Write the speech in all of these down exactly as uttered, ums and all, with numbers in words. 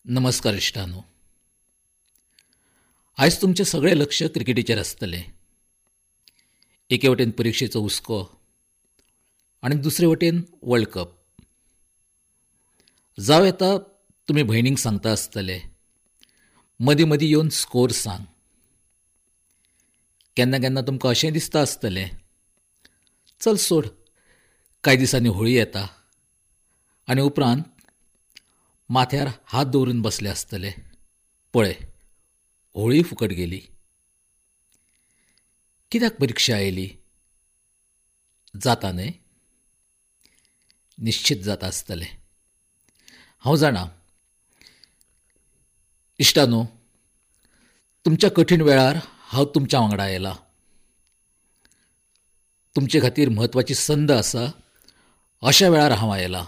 नमस्कार इश्टांनो, आयज तुमचें सगळें लक्ष क्रिकेटीचेर आसतलें. एके वटेन परिक्षेचो हुस्को आनी दुसरे वटेन वर्ल्ड कप. जावं येता तुमी भयणींक सांगता आसतले, मदीं मदीं येवन स्कोर सांग. केन्ना केन्ना तुमकां अशें दिसता आसतलें, चल सोड, कांय दिसांनी होळी येता आनी उपरांत माथ्यार हात दवरून बसले आसतले, पळय होळी फुकट गेली. कित्याक परिक्षा आयली? जाता न्हय? निश्चित जाता आसतलें, हांव जाणा. इश्टानो, तुमच्या कठीण वेळार हांव तुमच्या वांगडा आयला. तुमचे खातीर म्हत्वाची संद आसा अशा वेळार हांव आयला.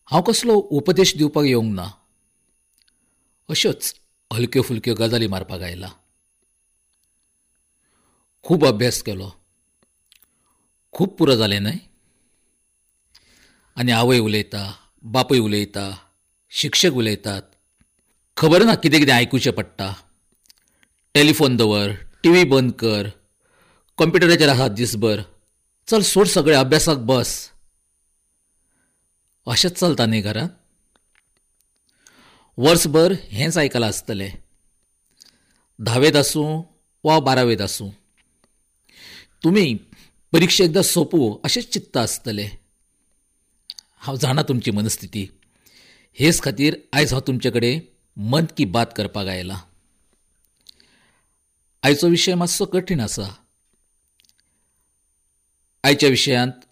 हांव कसलो उपदेश दिवपाक येवंक ना, अश्योच हलक्यो फुलक्यो गजाली मारपाक आयला. खूब अभ्यास केलो, खूब पुरो जालें न्हय? आनी आवय उलयता, बापूय उलयता, शिक्षक उलयतात, खबर ना कितें कितें आयकुचें पडटा. टेलिफोन दवर, टी व्ही बंद कर, कॉम्प्युटराचेर आसा दिसभर, चल सोड सगळें, अभ्यासाक बस. अशेंच चलता न्ही घरांत? वर्सभर हेंच आयकलां आसतलें, धावेंत आसूं वा बारावेंत आसूं. तुमी परिक्षा एकदां सोंपूं अशेंच चिंतता आसतलें. हांव जाणा तुमची मनस्थिती. हेच खातीर आयज हांव तुमचे कडेन मन की बात करपाक आयला. आयचो विशय मातसो कठीण आसा. आयच्या विशयांत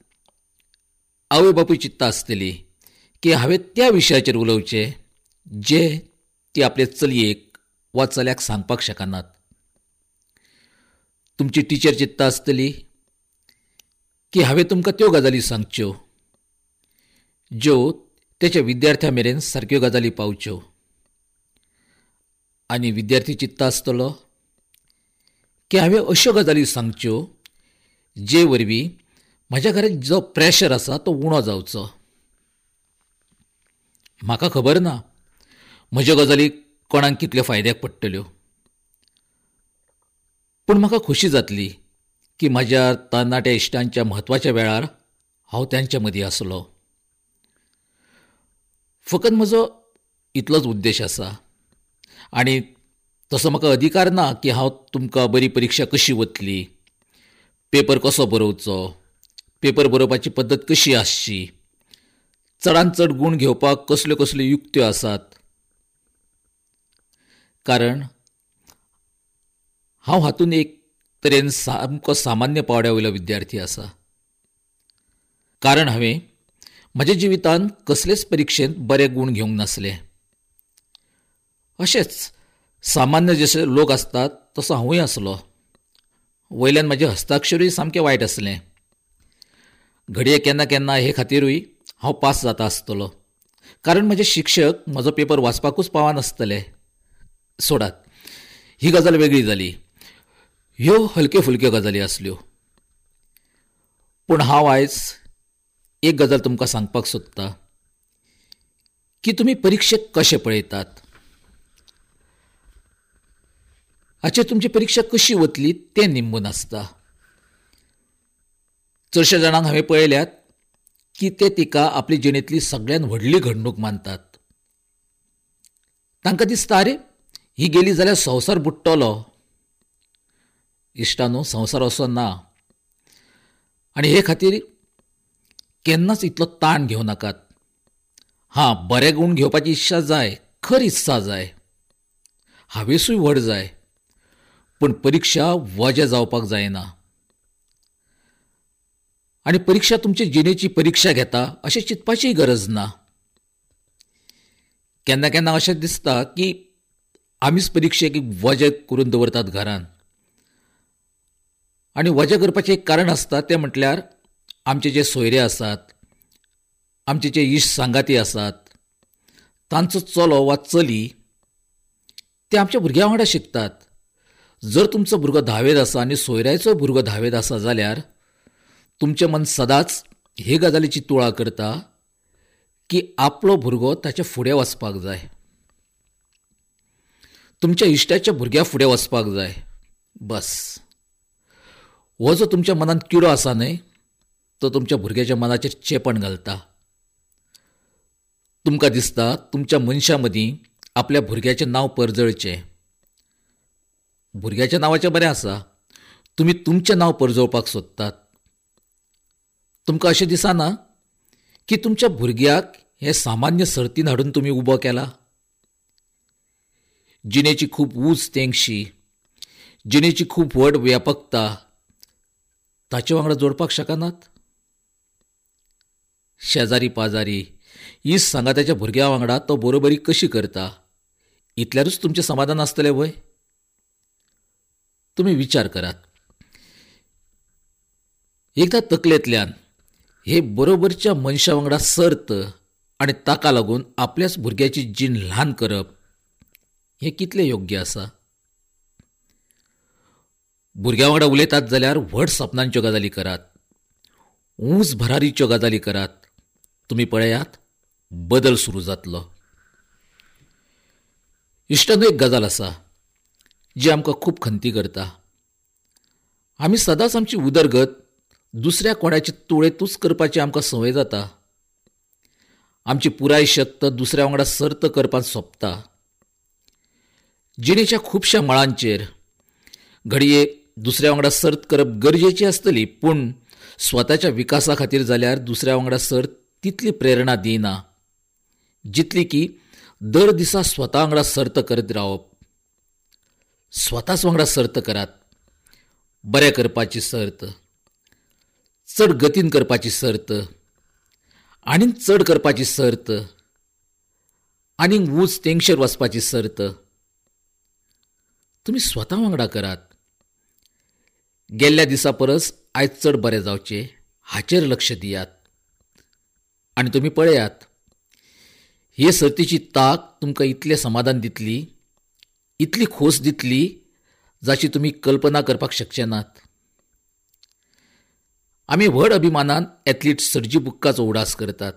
आवय बापूय चिंतता आसतली की हांवें त्या विशयाचेर उलोवचें जे ती आपले चलयेक वा चल्याक सांगपाक शकनात. तुमची टिचर चिंतता आसतली की हांवें तुमकां त्यो गजाली सांगच्यो ज्यो तेच्या विद्यार्थ्यां मेरेन सारक्यो गजाली पावच्यो. आनी विद्यार्थी चिंतता आसतलो की हांवें अश्यो गजाली सांगच्यो जे वरवीं म्हज्या घरांत जो प्रेशर आसा तो उणो जावचो. म्हाका खबर ना म्हज्यो गजाली कोणाक कितल्यो फायद्याक पडटल्यो, पूण म्हाका खोशी जातली की म्हज्या तरणाट्या इश्टांच्या म्हत्वाच्या वेळार हांव त्यांच्या मदीं आसलो. फकत म्हजो इतलोच उद्देश आसा आनी तसो म्हाका अधिकार ना की हांव तुमकां बरी परिक्षा कशी वतली, पेपर कसो बरोवचो, पेपर बरोवपाची पद्दत कशी आसची, चडांत चड गूण घेवपाक कसल्यो कसल्यो युक्त्यो आसात. कारण हांव हातूंत एक तरेन सामको सामान्य पावड्या वयलो विद्यार्थी आसा. कारण हांवें म्हज्या जिवितांत कसलेच परिक्षेंत बरे गूण घेवंक नासले. अशेंच सामान्य जशे लोक आसतात तसो हांवूय आसलो. वयल्यान म्हजें हस्ताक्षरूय सामकें वायट आसलें. घडये केन्ना केन्ना हे खातीरूय हांव पास जाता आसतलो, कारण म्हजे शिक्षक म्हजो पेपर वाचपाकूच पावनासतले. सोडात, ही गजाल वेगळी जाली. ह्यो हलक्यो फुलक्यो गजाली आसल्यो. पूण हांव आयज एक गजाल तुमकां सांगपाक सोदता की तुमी परिक्षेक कशें पळयतात, हाचेर तुमची परिक्षा कशी वतली तें निंबून आसता. चडश्या जाणांक हांवें पळयल्यात की ते तिका आपली जिणेंतली सगळ्यांत व्हडली घडणूक मानतात. तांकां दिसता, अरे ही गेली जाल्यार संवसार बुडटलो. इश्टानो, संवसार असो ना आनी हे खातीर केन्नाच इतलो ताण घेवं नाकात. हां, बरे गूण घेवपाची इत्सा जाय, खरी इत्सा जाय, हावेसूय व्हड जाय, पूण परिक्षा वजें जावपाक जायना. आनी परिक्षा तुमचे जिणेची परिक्षा घेता अशें चिंतपाचीय गरज ना. केन्ना केन्ना अशें दिसता की आमीच परिक्षेक वजें करून दवरतात घरांत. आनी वजें करपाचें एक कारण आसता तें म्हटल्यार आमचे जे सोयरे आसात, आमचे जे इश्ट सांगाती आसात, तांचो चलो वा चली ते आमच्या भुरग्यां वांगडा शिकतात. जर तुमचो भुरगो धावेंत आसा आनी सोयऱ्याचो भुरगो धावेंत आसा जाल्यार तुमचें मन सदांच हे गजालीची तुळा करता की आपलो भुरगो ताच्या फुडें वचपाक जाय, तुमच्या इश्टाच्या भुरग्या फुडें वचपाक जाय. बस, हो जो तुमच्या मनांत किडो आसा न्हय, तो तुमच्या भुरग्याच्या मनाचेर चेपण घालता. तुमकां दिसता तुमच्या मनशां मदीं आपल्या भुरग्याचें नांव परजळचें. भुरग्याच्या नांवाचें बरें आसा, तुमी तुमचें नांव परजोवपाक सोदतात. तुमकां अशें दिसना की तुमच्या भुरग्याक हे सामान्य सर्तीन हाडून तुमी उबो केला? जिणेची खूब ऊंच तेंगशी, जिणेची खूब व्हड व्यापकता ताचे वांगडा जोडपाक शकनात? शेजारी पाजारी इस सांगाताच्या भुरग्या वांगडा तो बरोबरी कशी करता इतल्यारूच तुमचें समाधान आसतलें व्हय? तुमी विचार करात. एकदां तकलेंतल्यान हे बरोबरच्या मनशा वांगडा सर्त आनी ताका लागून आपल्याच भुरग्याची जीण ल्हान करप हें कितलें योग्य आसा? भुरग्यां वांगडा उलयतात जाल्यार व्हड सपनांच्यो गजाली करात, ऊंच भरारीच्यो गजाली करात. तुमी पळयात, बदल सुरू जातलो. इश्टांनो, एक गजाल आसा जी आमकां खूब खंती करता. आमी सदांच आमची उदरगत दुसऱ्या कोणाचे तुळेंतूच करपाची आमकां संवय जाता. आमची पुराय शक्त दुसऱ्या वांगडा सर्त करपांत सोंपता. जिणेच्या खुबश्या मळांचेर घडये दुसऱ्या वांगडा सर्त करप गरजेची आसतली, पूण स्वताच्या विकासा खातीर जाल्यार दुसऱ्या वांगडा सर्त तितली प्रेरणा दिना जितली की दर दिसा स्वता वांगडा सर्त करत रावप. स्वताच वांगडा सर्त करात, बरें करपाची सर्त, चड गतीन करपाची सर्त, आनीक चड करपाची सर्त, आनीक ऊंच तेंगशेर वचपाची सर्त तुमी स्वता वांगडा करात. गेल्ल्या दिसा परस आयज चड बरें जावचें हाचेर लक्ष दियात आनी तुमी पळयात, हे सर्तीची ताक तुमकां इतलें समाधान दितली, इतली खोस दितली जाची तुमी कल्पना करपाक शकचे नात. आमी व्हड अभिमानान एथलीट सर्जी बुक्काचो उडास करतात.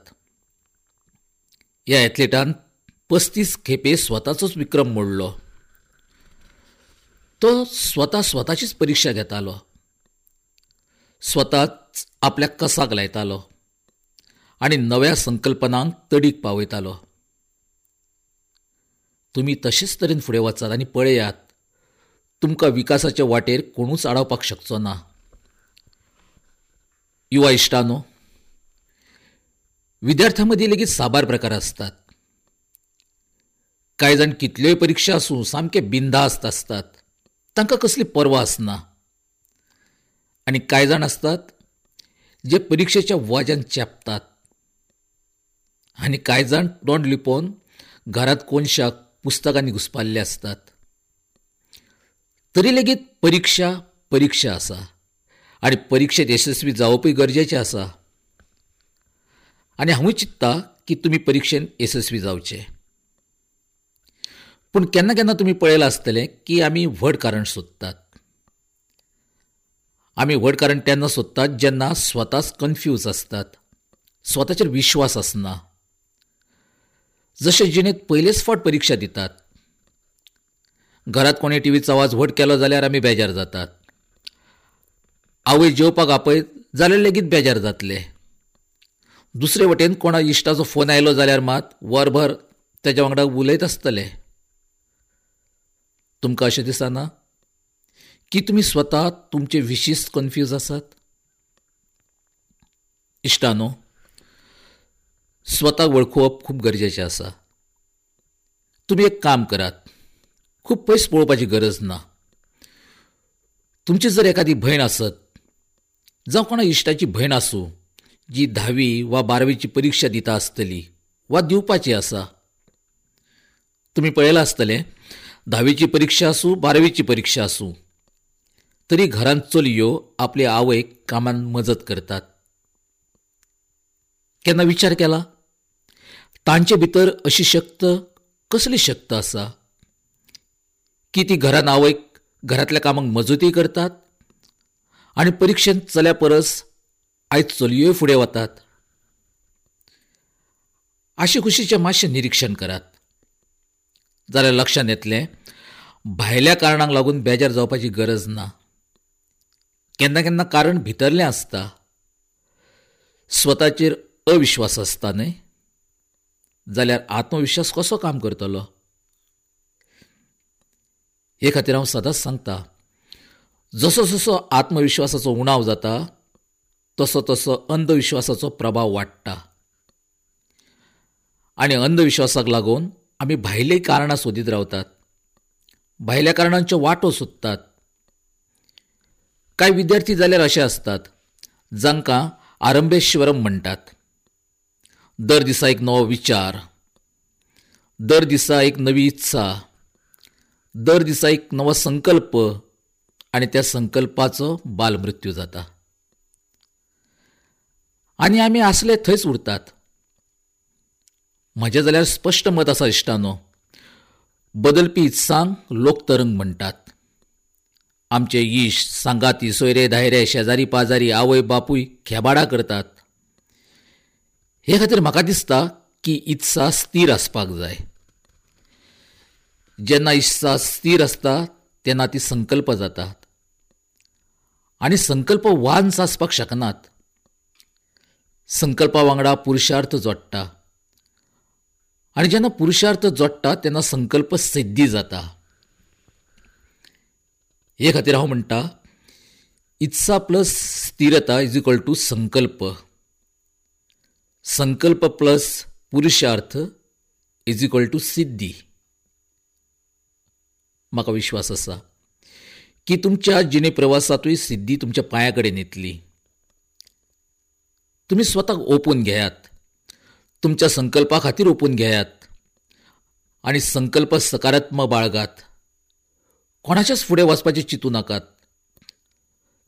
ह्या एथलीटान पस्तीस खेपे स्वताचोच विक्रम मोडलो. तो स्वता स्वताचीच परिक्षा घेतालो, स्वताच आपल्या कसाक लायतालो आनी नव्या संकल्पनांक तडीक पावयतालो. तुमी तशेच तरेन फुडें वचात आनी पळयात, तुमकां विकासाच्या वाटेर कोणूच आडावपाक शकचो ना. युवा इश्टांनो, विद्यार्थ्यां मदीं लेगीत साबार प्रकार आसतात. कांय जाण कितल्योय परिक्षा आसूं सामके बिनधास्त आसतात, तांकां कसली पर्वा आसना. आनी कांय जाण आसतात जे परिक्षेच्या वाज्यान चेपतात, आनी कांय जाण तोंड लिपोवन घरांत कोनशाक पुस्तकांनी घुसपाल्ले आसतात. तरी लेगीत परिक्षा परिक्षा आसा आनी परिक्षेत यशस्वी जावपूय गरजेचें आसा. आनी हांवूय चिंत्ता की तुमी परिक्षेंत यशस्वी जावचे. पूण केन्ना केन्ना तुमी पळयलां आसतलें की आमी व्हड कारण सोदतात. आमी व्हड कारण तेन्ना सोदतात जेन्ना स्वताच कन्फ्यूज आसतात, स्वताचेर विश्वास आसना. जशें जिणेंत पयलेच फावट परिक्षा दितात, घरांत कोणें टिवीचो आवाज व्हड केलो जाल्यार आमी बेजार जातात. आवय जेवपाक आपयत जाल्यार लेगीत बेजार जातले. दुसरे वटेन कोणा इश्टाचो फोन आयलो जाल्यार मात वरभर तेज्या वांगडा उलयत आसतले. तुमकां अशें दिसना की तुमी स्वता तुमचे विशींच कन्फ्यूज आसात? इश्टानो, स्वताक वळखुवप खूब गरजेचें आसा. तुमी एक काम करात, खूब पयस पळोवपाची गरज ना. तुमची जर एखादी भयण आसत जावं कोणा इश्टाची भयण आसूं जी धावी वा बारावीची परिक्षा दिता आसतली वा दिवपाची आसा, तुमी पळयलां आसतलें धावीची परिक्षा आसूं बारावीची परिक्षा आसूं तरी घरांत चलयो आपले आवयक कामांत मजत करतात. केन्ना विचार केला तांचे भितर अशी शक्त कसली शक्त आसा की ती घरांत आवयक घरांतल्या कामांक मजतूय करतात आनी परिक्षेंत चल्या परस आयज चलयोय फुडें वतात. आशीकुशीचें मातशें निरिक्षण करात जाल्यार लक्षांत येतलें भायल्या कारणांक लागून बेजार जावपाची गरज ना. केन्ना केन्ना कारण भितरलें आसता, स्वताचेर अविश्वास आसता न्हय, जाल्यार आत्मविश्वास कसो काम करतलो? हे खातीर हांव सदांच सांगता, जसो जसो आत्मविश्वासाचो उणाव जाता तसो तसो अंधविश्वासाचो प्रभाव वाडटा आनी अंधविश्वासाक लागून आमी भायलीं कारणां सोदीत रावतात, भायल्या कारणांच्यो वाटो सोदतात. कांय विद्यार्थी जाल्यार अशे आसतात जांकां आरंभेश्वरम म्हणटात. दर दिसा एक नवो विचार, दर दिसा एक नवी इत्सा, दर दिसा एक नवो संकल्प आनी त्या संकल्पाचो बालमृत्यू जाता आनी आमी आसले थंयच उरतात. म्हजें जाल्यार स्पश्ट मत आसा इश्टानो, बदलपी इत्सांक लोकतरंग म्हणटात. आमचे इश्ट, सांगाती, सोयरे धायरे, शेजारी पाजारी, आवय बापूय खेबाडां करतात. हे खातीर म्हाका दिसता की इत्सा स्थीर आसपाक जाय. जेन्ना इत्सा स्थीर आसता तेन्ना ती संकल्प जातात आनी संकल्प वांस आसपाक शकनात. संकल्पा वांगडा पुरुषार्थ जोडटा आनी जेन्ना पुरुषार्थ जोडटा तेन्ना संकल्प सिद्धी जाता. हे खातीर हांव म्हणटा, इत्सा प्लस स्थिरता is equal to Sankalp, Sankalp plus पुरुषार्थ is equal to सिद्धी. म्हाका विश्वास आसा की तुमच्या जिणे प्रवासांतूय सिद्धी तुमच्या पांया कडेन येतली. तुमी स्वताक ओपून घेयात, तुमच्या संकल्पा खातीर ओपून घेयात आनी संकल्प सकारात्मक बाळगात. कोणाच्याच फुडें वचपाचें चिंतू नाकात.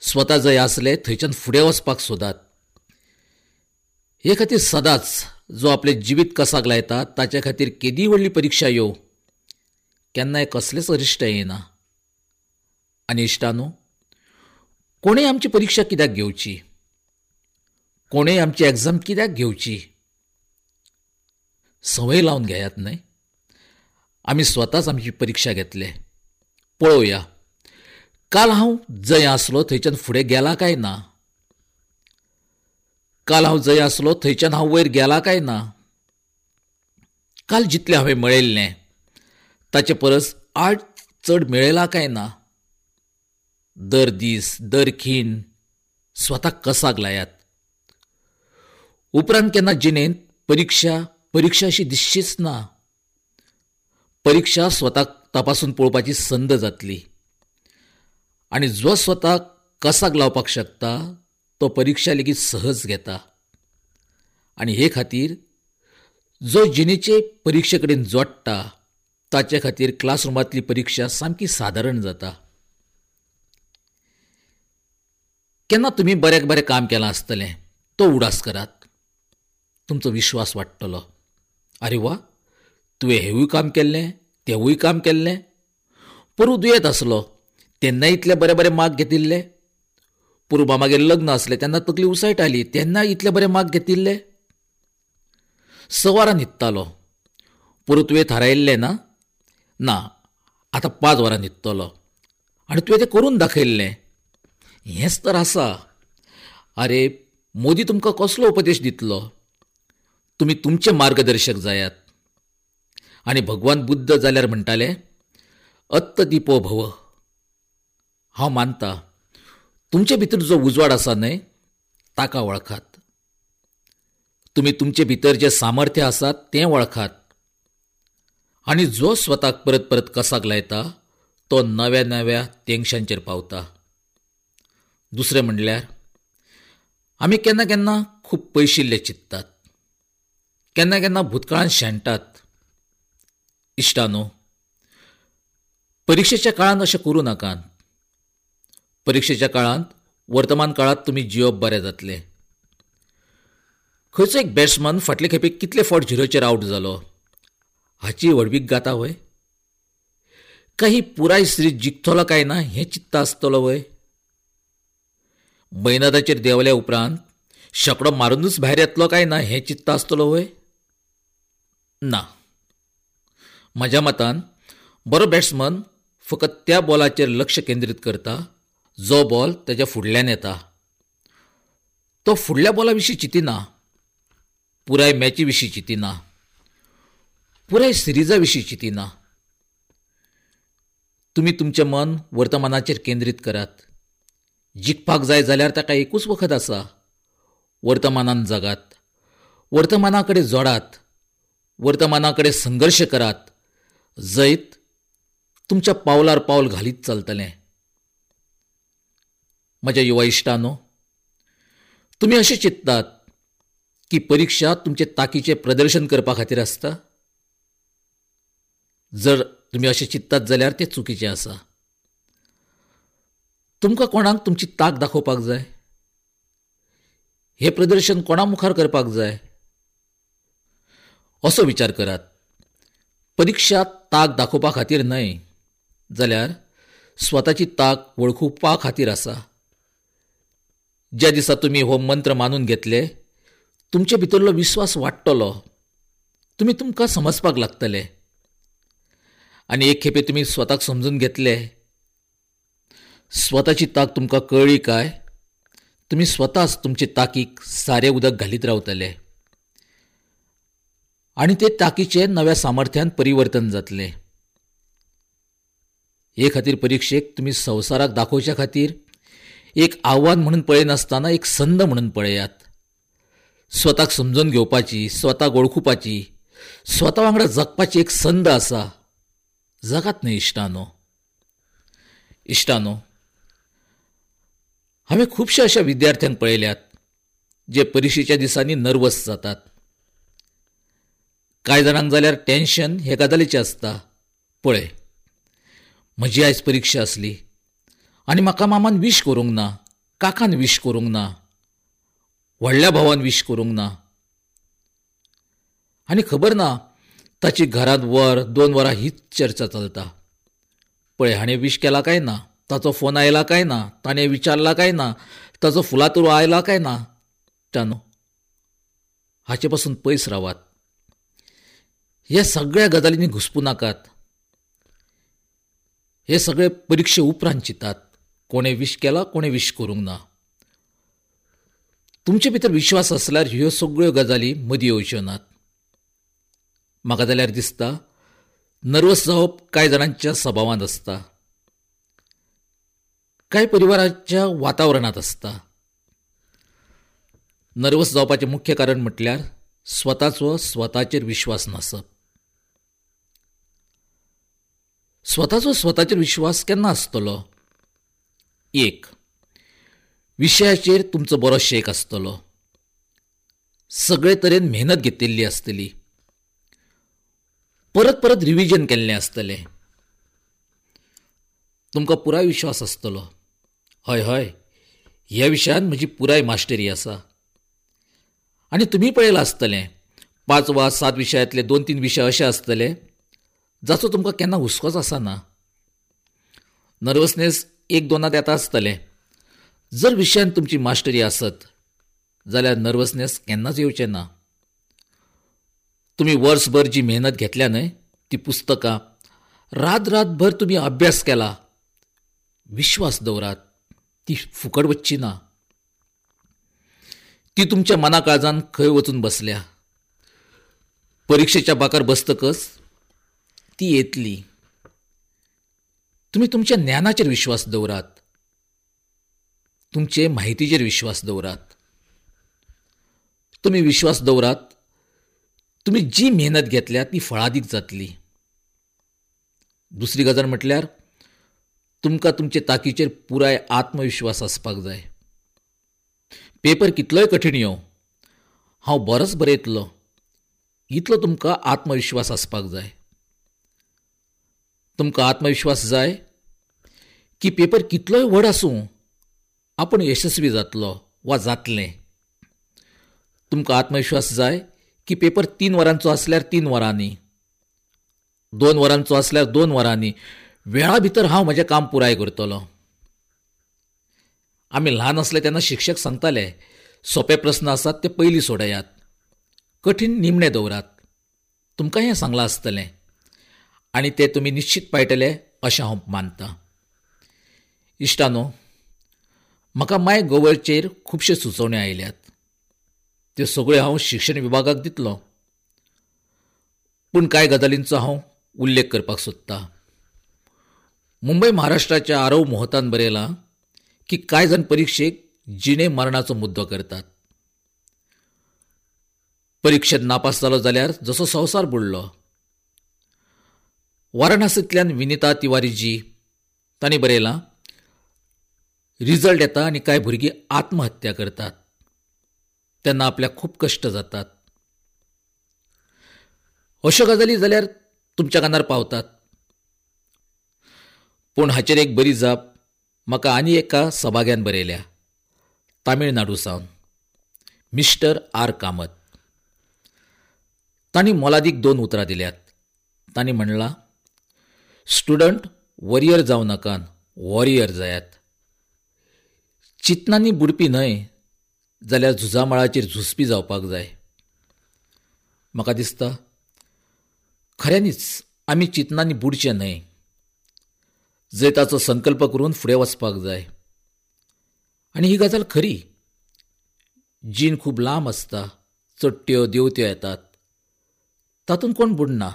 स्वता जंय आसले थंयच्यान फुडें वचपाक सोदात. हे खातीर सदांच जो आपलें जिवीत कसाक लायता ताचे खातीर केदी व्हडली परिक्षा येवं, केन्नाय कसलेंच अरिश्ट येना. आनी इश्टानो, कोणें आमची परिक्षा कित्याक घेवची? कोणें आमची एग्जाम कित्याक घेवची? संवय लावन घेयात न्हय. आमी स्वताच आमची परिक्षा घेतले. पळोवया काल हांव जंय आसलो थंयच्यान फुडें गेला काय ना, काल हांव जंय आसलो थंयच्यान हांव वयर गेला काय ना, काल जितलें हांवें मेळयल्लें ताचे परस आठ चड मेळयला काय ना. दर दीस दर खीण स्वताक कसाक लायात. उपरांत केन्ना जिणेंत परिक्षा परिक्षा अशी दिसचीच ना. परिक्षा स्वताक तपासून पळोवपाची संद जातली आनी जो स्वताक कसाक लावपाक शकता तो परिक्षा लेगीत सहज घेता. आनी हे खातीर जो जिणेचे परिक्षे कडेन जोडटा ताचे खातीर क्लासरुमांतली परिक्षा सामकी सादारण जाता. केन्ना तुमी बऱ्याक बरें काम केलां आसतलें तो उडास करात, तुमचो विश्वास वाडटलो. आरे वा, तुवें हेवूय काम केल्लें, तेवूय काम केल्लें, पोरूं दुयेंत आसलो तेन्ना इतले बरे बरे मार्क घेतिल्ले, पोरूं मामागेर लग्न आसलें तेन्ना तकली उसळटाली तेन्ना इतले बरे मार्क घेतिल्ले, स वरां न्हिदतालो पोरूं तुवें थारायिल्लें ना, ना आतां पांच वरां न्हिदतलो आनी तुवें तें करून दाखयल्लें. हेंच तर आसा. आरे मोदी तुमकां कसलो उपदेश दितलो? तुमी तुमचे मार्गदर्शक जायात. आनी भगवान बुद्ध जाल्यार म्हणटाले अत्तदीपो भव. हांव मानता तुमचे भितर जो उजवाड आसा न्हय ताका वळखात. तुमी तुमचे भितर जें सामर्थ्य आसा तें वळखात आनी जो स्वताक परत परत कसाक लायता तो नव्या नव्या तेंगशांचेर पावता. दुसरें म्हणल्यार आमी केन्ना केन्ना खूब पयशिल्ले चिंततात, केन्ना केन्ना भूतकाळांत शेणटात. इश्टानो, परिक्षेच्या काळांत अशें करूं नाकात. परिक्षेच्या काळांत वर्तमान काळांत तुमी जियोवप बरें जातलें. खंयचो एक बॅट्समन फाटले खेपे कितले फावट झिरोचेर आवट जालो हाची व्हडवीक गाता व्हय? काय ही पुराय सिरीज जिखतलो काय ना हें चिंतता आसतलो व्हय? मैदानाचेर देंवल्या उपरांत शेंकडो मारुनूच भायर येतलो काय ना हें चिंतता आसतलो व्हय? ना. म्हज्या मतान बरो बॅट्समन फकत त्या बॉलाचेर लक्ष केंद्रीत करता जो बॉल ताच्या फुडल्यान येता. तो फुडल्या बॉला विशीं चिंतिना, पुराय मॅची विशीं चिंतिना, पुराय सिरिजा विशीं चिंतिना. तुमी तुमचें मन वर्तमानाचेर केंद्रीत करात. जिखपाक जाय जाल्यार ताका एकूच वखद आसा, वर्तमानान जगात, वर्तमाना कडेन जोडात, वर्तमाना कडेन संघर्श करात. जैत तुमच्या पावलार पावल घालीत चलतलें. म्हज्या युवा इश्टांनो, तुमी अशें चिंततात की परिक्षा तुमचे ताकीचें प्रदर्शन करपा खातीर आसता? जर तुमी अशें चिंततात जाल्यार तें चुकीचें आसा. तुमकां कोणाक तुमची ताक दाखोवपाक जाय? हें प्रदर्शन कोणा मुखार करपाक जाय? असो विचार करात. परिक्षा ताक दाखोवपा खातीर न्हय, जाल्यार स्वताची ताक वळखुपा खातीर आसा. ज्या दिसा तुमी हो मंत्र मानून घेतले, तुमचे भितरलो विस्वास वाडटलो, तुमी तुमकां समजपाक लागतले. आनी एक खेपे तुमी स्वताक समजून घेतले, स्वताची ताक तुमकां कळ्ळी काय तुमी स्वताच तुमचे ताकीक सारें उदक घालीत रावतले आनी ते ताकीचें नव्या सामर्थ्यान परिवर्तन जातलें. हे खातीर परिक्षेक तुमी संवसाराक दाखोवच्या खातीर एक आव्हान म्हणून पळयनासतना एक संद म्हणून पळयात. स्वताक समजून घेवपाची, स्वताक वळखुपाची, स्वता वांगडा जगपाची एक संद आसा. जगात न्हय इश्टानो. इश्टानो, हांवें खुबश्या अशा विद्यार्थ्यांक पळयल्यात जे परिक्षेच्या दिसांनी नर्वस जातात. कांय जाणांक जाल्यार टेन्शन हे गजालीचें आसता. पळय, म्हजी आयज परिक्षा आसली आनी म्हाका मामान विश करूंक ना, काकान विश करूंक ना, व्हडल्या भावान विश करूंक ना. आनी खबर ना ताची घरांत वर दोन वरां हीच चर्चा चलता. पळय, हाणें विश केला काय ना, ताचो फोन आयला काय ना, ताणें विचारला काय ना, ताचो फुलातुरो आयला काय ना. तानो, हाचे पासून पयस रावात. ह्या सगळ्या गजालींनी घुसपूं नाकात. हे सगळे परिक्षे उपरांत चिंतात, कोणें विश केला कोणें विश करूंक ना. तुमचे भितर विश्वास आसल्यार ह्यो सगळ्यो गजाली मदीं येवच्यो नात. म्हाका जाल्यार दिसता नर्वस जावप कांय जाणांच्या सभावांत आसता, कांय परिवाराच्या वातावरणांत आसता. नर्वस जावपाचें मुख्य कारण म्हटल्यार स्वताचो स्वताचेर विश्वास नासप. स्वताचो स्वताचेर विश्वास केन्ना आसतलो? एक, विशयाचेर तुमचो बरो शेक आसतलो, सगळे तरेन मेहनत घेतिल्ली आसतली, परत परत रिविजन केल्लें आसतलें, तुमकां पुराय विश्वास आसतलो, हय हय ह्या विशयान म्हजी पुराय मास्टरी आसा. आनी तुमी पळयलां आसतलें, पांच वा सात विशयांतले दोन तीन विशय अशे आसतले जाचो तुमकां केन्ना हुस्कोच आसना. नर्वसनेस एक दोनांत येता आसतलें. जर विशयान तुमची मास्टरी आसत जाल्यार नर्वसनेस केन्नाच येवचें ना. तुमी वर्सभर जी मेहनत घेतल्या न्हय ती पुस्तकां, रात रातभर तुमी अभ्यास केला, विश्वास दवरात ती फुकट वचची ना. ती तुमच्या मना काळजान खंय वचून बसल्या. परिक्षेच्या बाकार बसतकच ती येतली. तुमी तुमच्या ज्ञानाचेर विश्वास दवरात, तुमचे माहितीचेर विश्वास दवरात. तुमी विश्वास दवरात, तुमी जी मेहनत घेतल्या ती फळादीक जातली. दुसरी गजाल म्हटल्यार तुमकां तुमचे ताकीचेर पुराय आत्मविश्वास आसपाक जाय. पेपर कितलोय कठीण येवं, हांव बरोच बरयतलो इतलो तुमकां आत्मविश्वास आसपाक जाय. तुमकां आत्मविश्वास जाय की पेपर कितलोय व्हड आसूं आपूण यशस्वी जातलो वा जातलें. तुमकां आत्मविश्वास जाय की पेपर तीन वरांचो आसल्यार तीन वरांनी, दोन वरांचो आसल्यार दोन वरांनी, वेळा भितर हांव म्हजें काम पुराय करतलो. आमी ल्हान आसले तेन्ना शिक्षक सांगताले, सोपे प्रस्न आसात ते पयलीं सोडयात, कठीण निमणे दवरात. तुमकां हें सांगलां आसतलें आनी तें तुमी निश्चित पाळटले अशें हांव मानतां. इश्टानो, म्हाका माय गोवरचेर खुबश्यो सुचोवण्यो आयल्यात. त्यो सगळ्यो हांव शिक्षण विभागाक दितलो, पूण कांय गजालींचो हांव उल्लेख करपाक सोदतां. मुंबय महाराष्ट्राच्या आरव मोहतान बरयलां की कांय जाण परिक्षेक जिणे मरणाचो मुद्दो करतात. परिक्षेत नापास जालो जाल्यार जसो संवसार बुडलो. वाराणसींतल्यान विनिता तिवारीजी तांणी बरयलां, रिजल्ट येता आनी कांय भुरगीं आत्महत्या करतात तेन्ना आपल्याक खूब कश्ट जातात. अश्यो गजाली जाल्यार तुमच्या कानार पावतात. पूण हाचेर एक बरी जाप म्हाका आनी एका सभाग्यान बरयल्या, तामिळनाडू सावन मिस्टर आर कामत. तांणी मोलादीक दोन उतरां दिल्यात. तांणी म्हणलां, स्टुडंट वॉरियर जावं नाकात, वॉरियर जायात. चिंतनांनी बुडपी न्हय जाल्यार झुजामळाचेर झुजपी जावपाक जाय. म्हाका दिसता खऱ्यांनीच आमी चिंतनांनी बुडचें न्हय, जैताचो संकल्प करून फुडें वचपाक जाय. आनी ही गजाल खरी. जीण खूब लांब आसता, चडट्यो देंवत्यो येतात, तातूंत कोण बुडना.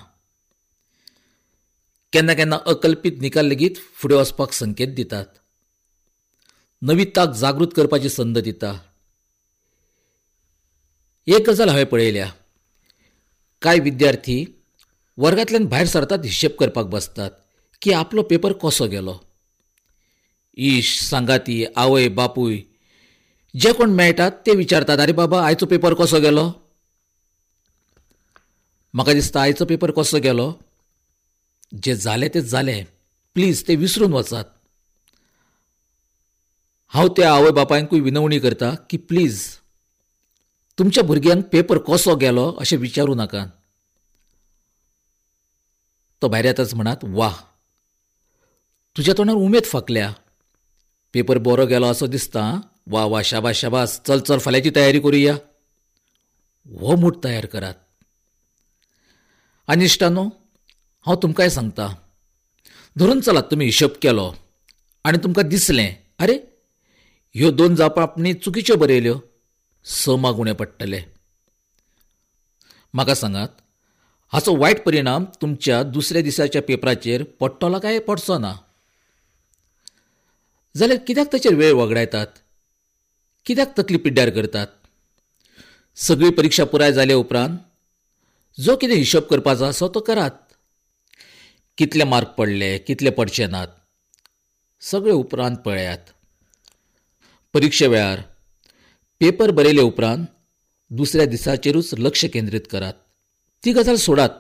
केन्ना केन्ना अकल्पीत निकाल लेगीत फुडें वचपाक संकेत दितात, नवी ताक जागृत करपाची संद दिता. एक गजाल हांवें पळयल्या, कांय विद्यार्थी वर्गांतल्यान भायर सरतात, हिशेब करपाक बसतात की आपलो पेपर कसो गेलो. इश, सांगाती, आवय बापूय जे कोण मेळटात ते विचारतात, आरे बाबा आयचो पेपर कसो गेलो. म्हाका दिसता आयचो पेपर कसो गेलो, जें जालें तें जालें, प्लीज तें विसरून वचात. हांव त्या आवय बापायंकूय विनवणी करता की प्लीज तुमच्या भुरग्यांक पेपर कसो गेलो अशें विचारूं नाकात. तो भायर येताच म्हणात, वा तुज्या तोंडार उमेद फांकल्या, पेपर बरो गेलो असो दिसता, वा वा शाबास शाबास, चल चल फाल्यांची तयारी करुया. हो मूड तयार करात. आनी इश्टानो, हांव तुमकांय सांगता, धरून चलात तुमी हिशोब केलो आनी तुमकां दिसलें अरे ह्यो दोन जापो आपणे चुकीच्यो बरयल्यो, स मार्क उणे पडटले. म्हाका सांगात, हाचो वायट परिणाम तुमच्या दुसऱ्या दिसाच्या पेपराचेर पडटलो काय पडचो ना? जाल्यार कित्याक ताचेर वेळ वगडायतात, कित्याक तकली पिड्ड्यार करतात? सगळी परिक्षा पुराय जाले उपरांत जो कितें हिशोब करपाचो आसा तो करात. कितले मार्क पडले, कितले पडचे नात, सगळे उपरांत पळयात. परिक्षे वेळार पेपर बरयले उपरांत दुसऱ्या दिसाचेरूच लक्ष केंद्रीत करात. ती गजाल सोडात,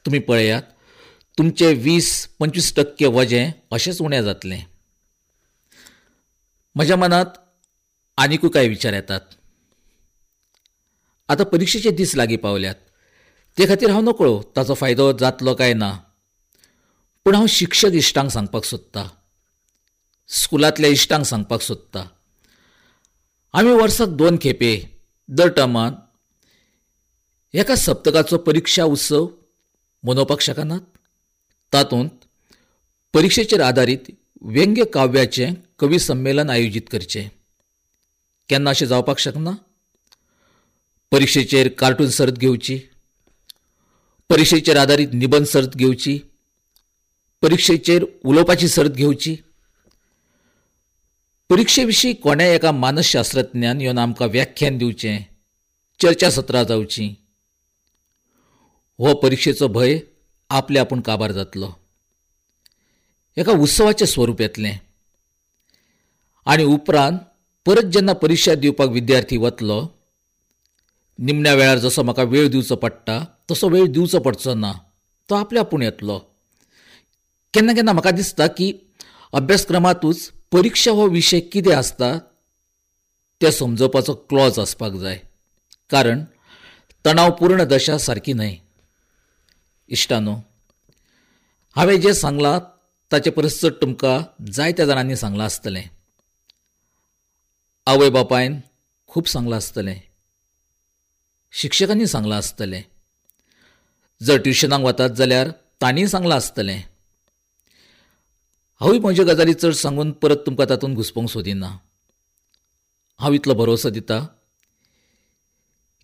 तुमी पळयात तुमचे वीस पंचवीस टक्के वजें अशेंच उणें जातलें. म्हज्या मनांत आनिकूय कांय विचार येतात. आतां परिक्षेचे दीस लागीं पावल्यात, ते खातीर हांव नकळो ताचो फायदो जातलो काय ना, पूण हांव शिक्षक इश्टांक सांगपाक सोदतां, स्कुलांतल्या इश्टांक सांगपाक सोदतां, आमी वर्साक दोन खेपे दर टर्मान एका सप्तकाचो परिक्षा उत्सव मनोवपाक शकनात? तातूंत परिक्षेचेर आदारीत व्यंग्य काव्याचें कवी संमेलन आयोजीत करचें. केन्ना अशें जावपाक शकना? परिक्षेचेर कार्टून सर्त घेवची, परिक्षेचेर आदारीत निबंद सर्त घेवची, परिक्षेचेर उलोवपाची सर्त घेवची. परिक्षे विशीं कोणेय एका मानसशास्त्रज्ञान येवन आमकां व्याख्यान दिवचें, चर्चासत्रां जावचीं. हो परिक्षेचो भंय आपले आपूण काबार जातलो, एका उत्सवाचें स्वरूप येतलें. आनी उपरांत परत जेन्ना परिक्षा दिवपाक विद्यार्थी वतलो, निमण्या वेळार जसो म्हाका वेळ दिवचो पडटा तसो वेळ दिवचो पडचो ना, तो आपले आपूण येतलो. केन्ना केन्ना म्हाका दिसता की अभ्यासक्रमांतूच परिक्षा हो विशय कितें आसता तें समजोवपाचो क्लॉज आसपाक जाय, कारण तणावपूर्ण दशा सारकी न्हय. इश्टानो, हांवें जें सांगलां ताचे परस चड तुमकां जायत्या जाणांनी सांगलां आसतलें, आवय बापायन खूब सांगलां आसतलें, शिक्षकांनी सांगलां आसतलें. जर ट्युशनाक वतात जाल्यार तांणीय सांगलां आसतलें. हांवूय म्हज्यो गजाली चड सांगून परत तुमकां तातूंत घुसपोवंक सोदिना. हांव इतलो भरोसो दिता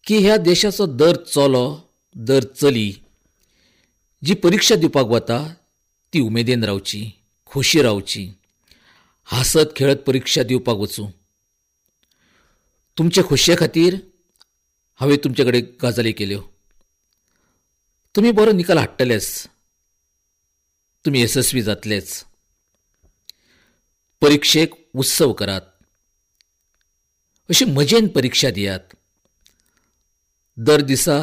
की ह्या देशाचो दर चलो दर चली जी परिक्षा दिवपाक वता ती उमेदीन रावची, खोशी रावची, हांसत खेळत परिक्षा दिवपाक वचूं. तुमचे खोशये खातीर हांवें तुमचे कडेन गजाली केल्यो. तुमी बरो निकाल हाडटलेच, तुमी येसस्वी जातलेच. परिक्षेक उत्सव करात, अशी मजेन परिक्षा दियात. दर दिसा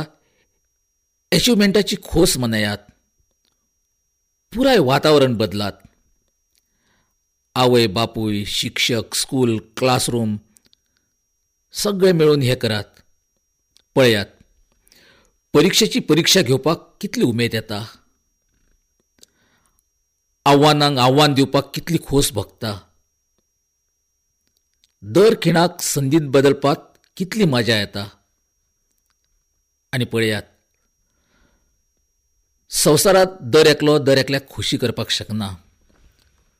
एचिवमेंटाची खोस मनयात. पुराय वातावरण बदलात. आवय बापूय, शिक्षक, स्कूल, क्लासरूम सगळे मेळून हें करात. पळयात परिक्षेची परिक्षा घेवपाक कितली उमेद येता, आव्हानांक आव्हान दिवपाक कितली खोस भोगता, दर खिणाक संदीत बदलपाक कितली मजा येता. आनी पळयात संवसारांत दर एकलो दर एकल्याक खोशी करपाक शकना.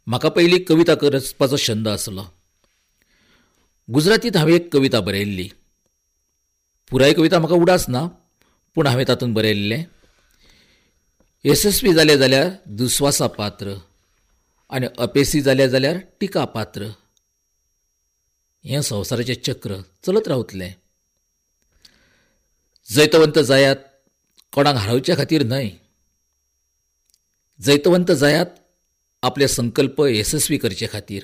म्हाका पयलीं कविता रचपाचो छंद आसलो. गुजरातींत हांवें एक कविता बरयल्ली. पुराय कविता म्हाका उडास ना, पूण हांवें तातूंत बरयल्लें, येसस्वी जाले जाल्यार दुस्वासा पात्र आनी अपेसी जाले जाल्यार टिका पात्र. हें संवसाराचें चक्र चलत रावतलें. जैतवंत जायात कोणाक हारोवचे खातीर न्हय, जैतवंत जायात आपले संकल्प येसस्वी करचे खातीर,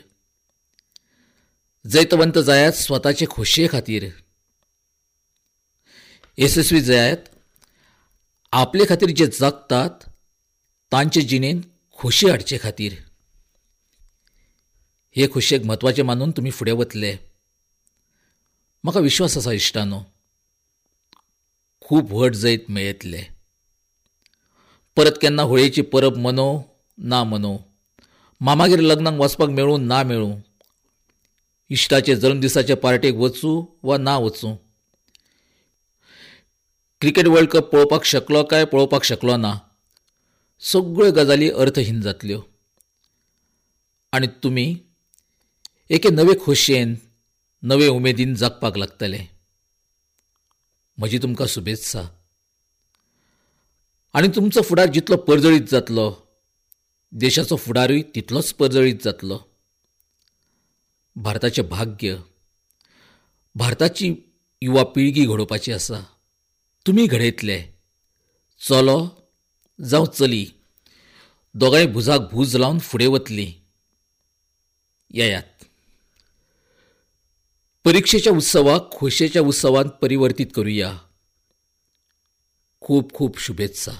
जैतवंत जायात स्वताचे खोशये खातीर, येसस्वी जायात आपले खातीर जे जगतात तांचे जिणेंत खोशी हाडचे खातीर. हे खोशयेक म्हत्वाचें मानून तुमी फुडें वतले. म्हाका विश्वास आसा इश्टानो, खूब व्हड जैत मेळयतले. परत केन्ना होळयेची परब मनोवं ना मनोवं, मामागेर लग्नाक वचपाक मेळूं ना मेळूं, इश्टाचे जल्मदिसाचे पार्टेक वचूं वा ना वचूं, क्रिकेट वर्ल्ड कप पळोवपाक शकलो काय पळोवपाक शकलो ना, सगळ्यो गजाली अर्थहीन जातल्यो आनी तुमी एके नवे खोशयेन नवे उमेदीन जगपाक लागतले. म्हजी तुमकां शुभेत्सा. आनी तुमचो फुडार जितलो परजळीत जातलो, देशाचो फुडारूय तितलोच परजळीत जातलो. भारताचें भाग्य, भारताची युवा पिळगी घडोवपाची आसा. तुमी घडयतले. चलो जावं चली दोगांय भुजाक भूज लावन फुडें वतलीं. येयात, परिक्षेच्या उत्सवाक खोशयेच्या उत्सवांत परिवर्तीत करुया. खूब खूब शुभेत्सा.